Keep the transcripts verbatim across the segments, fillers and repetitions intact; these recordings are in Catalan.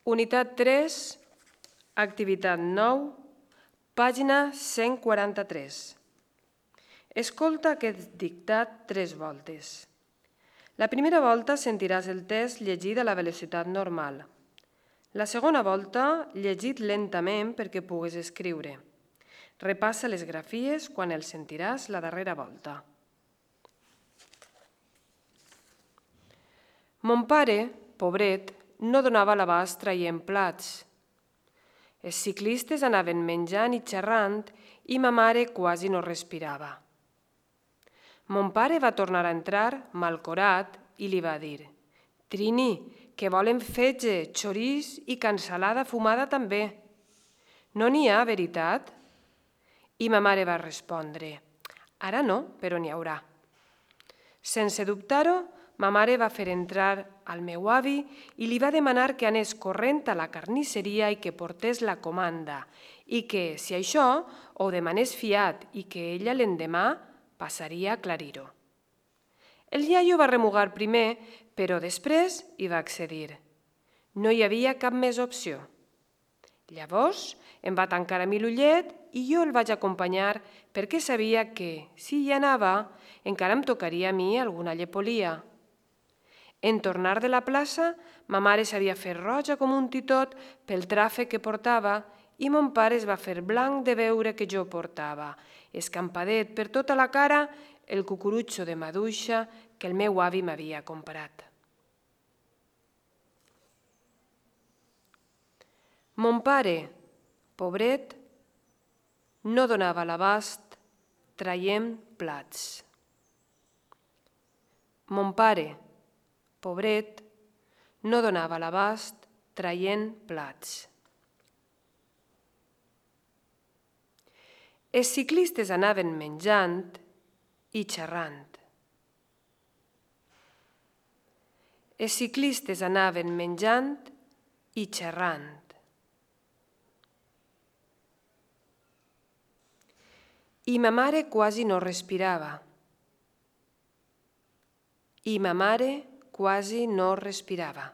Unitat tres, activitat nou, pàgina cent quaranta-tres. Escolta aquest dictat tres voltes. La primera volta sentiràs el text llegit a la velocitat normal. La segona volta, llegit lentament perquè puguis escriure. Repassa les grafies quan el sentiràs la darrera volta. Mon pare, pobret, no donava l'abast traient plats. Els ciclistes anaven menjant i xerrant i ma mare quasi no respirava. Mon pare va tornar a entrar, malcorat, i li va dir: «Trini, que volen fetge, xorís i cansalada fumada també. No n'hi ha, veritat?» I ma mare va respondre: «Ara no, però n'hi haurà». Sense dubtar-ho, ma mare va fer entrar al meu avi i li va demanar que anés corrent a la carnisseria i que portés la comanda i que, si això, ho demanés fiat i que ella l'endemà passaria a aclarir-ho. El iaio va remugar primer, però després hi va accedir. No hi havia cap més opció. Llavors em va tancar a mi l'ullet i jo el vaig acompanyar perquè sabia que, si hi anava, encara em tocaria a mi alguna llepolia. En tornar de la plaça, ma mare s'havia fet roja com un titot pel tràfic que portava i mon pare es va fer blanc de veure que jo portava, escampadet per tota la cara, el cucurutxo de maduixa que el meu avi m'havia comprat. Mon pare, pobret, no donava l'abast traient plats. Mon pare, pobret, no donava l'abast traient plats. Els ciclistes anaven menjant i xerrant. Els ciclistes anaven menjant i xerrant. I ma mare quasi no respirava. I ma mare quasi no respirava.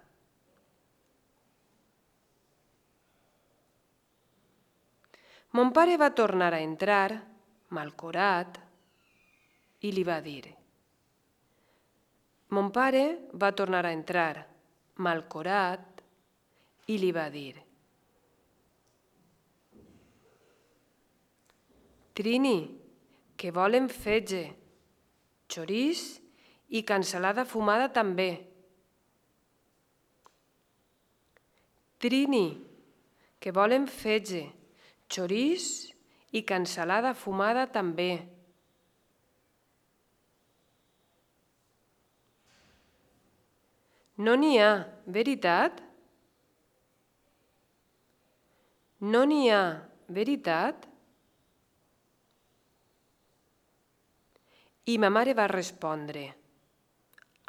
Mon pare va tornar a entrar, malcorat, i li va dir. Mon pare va tornar a entrar, malcorat, i li va dir. Trini, que volen fetge, xorís i cansalada fumada també. Trini, que volen fetge, xorís i cansalada fumada també. No n'hi ha, veritat? No n'hi ha, veritat? I ma mare va respondre: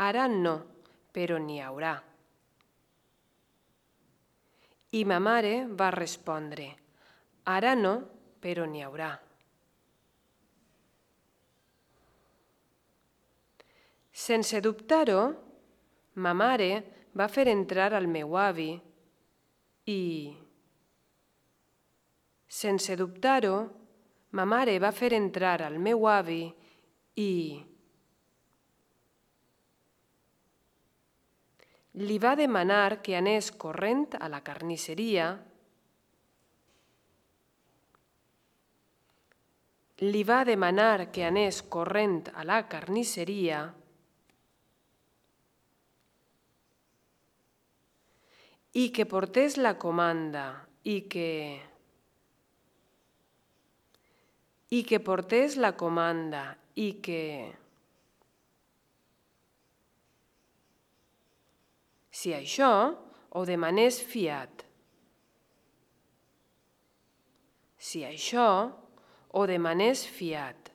«Ara no, però n'hi haurà». I ma mare va respondre: «Ara no, però n'hi haurà». Sense dubtar-ho, ma mare va fer entrar al meu avi i... Sense dubtar-ho, ma mare va fer entrar al meu avi i... li va demanar que anés corrent a la carnisseria li va demanar que anés corrent a la carnisseria i que portés la comanda i que... i que portés la comanda i que... si això ho demanés fiat. Si això ho demanés fiat.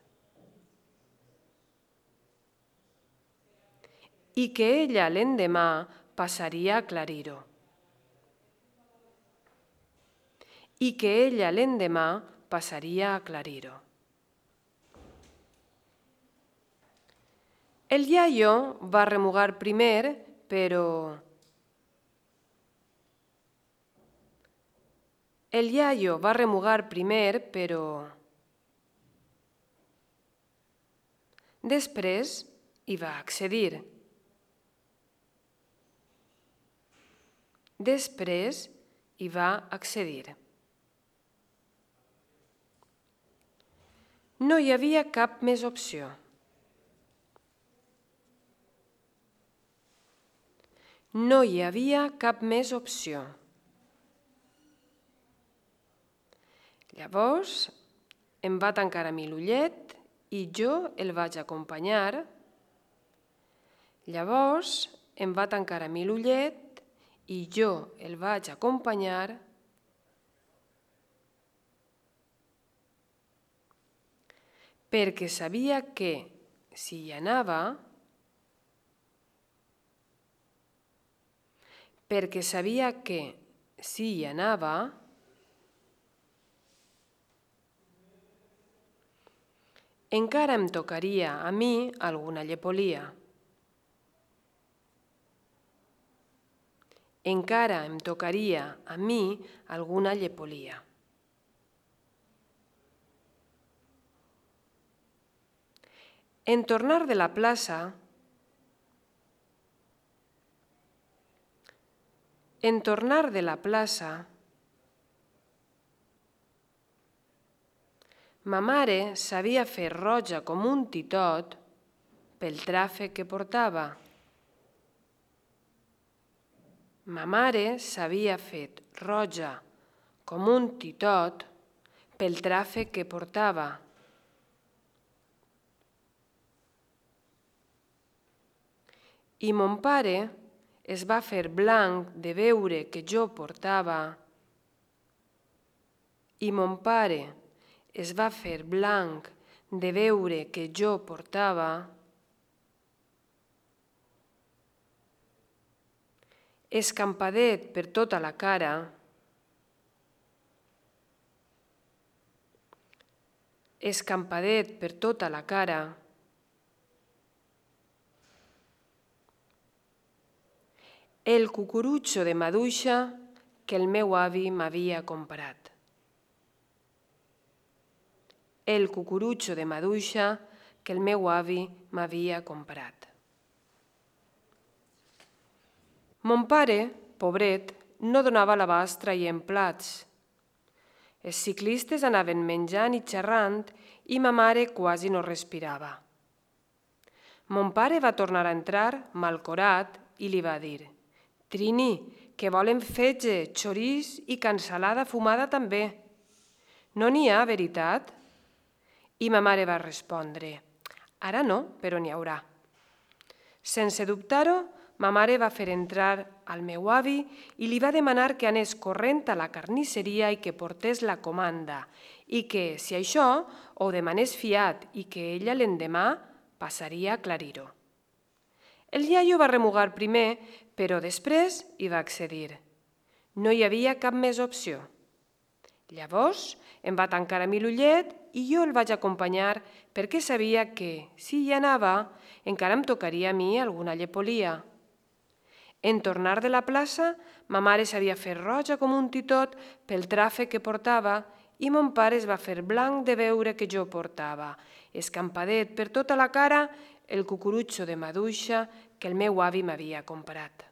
I que ella l'endemà passaria a aclarir-ho. I que ella l'endemà passaria a aclarir-ho. El iaio va remugar primer, però... El iaio va remugar primer, però després hi va accedir. Després hi va accedir. No hi havia cap més opció. No hi havia cap més opció. Llavors em va tancar a mi l'ullet i jo el vaig acompanyar. Llavors em va tancar a mi l'ullet i jo el vaig acompanyar perquè sabia que, si hi anava, perquè sabia que, si hi anava, encara em tocaria a mi alguna llepolia. Encara em tocaria a mi alguna llepolia. En tornar de la plaça, en tornar de la plaça, ma mare s'havia fet roja com un titot pel tràfic que portava. Ma mare s'havia fet roja com un titot pel tràfic que portava. I mon pare es va fer blanc de veure que jo portava. I mon pare es va fer blanc de veure que jo portava escampadet per tota la cara, escampadet per tota la cara, el cucurutxo de maduixa que el meu avi m'havia comprat. El cucurutxo de maduixa que el meu avi m'havia comprat. Mon pare, pobret, no donava l'abast traient plats. Els ciclistes anaven menjant i xerrant i ma mare quasi no respirava. Mon pare va tornar a entrar malcorat i li va dir: «Trini, que volen fetge, xorís i cansalada fumada també. No n'hi ha, veritat?» I ma mare va respondre: «Ara no, però n'hi haurà». Sense dubtar-ho, ma mare va fer entrar al meu avi i li va demanar que anés corrent a la carnisseria i que portés la comanda i que, si això, ho demanés fiat i que ella l'endemà passaria a aclarir-ho. El iaio va remugar primer, però després hi va accedir. No hi havia cap més opció. Llavors em va tancar a mi l'ullet i jo el vaig acompanyar perquè sabia que, si hi anava, encara em tocaria a mi alguna llepolia. En tornar de la plaça, ma mare s'havia fet roja com un titot pel tràfic que portava i mon pare es va fer blanc de veure que jo portava, escampadet per tota la cara, el cucurutxo de maduixa que el meu avi m'havia comprat.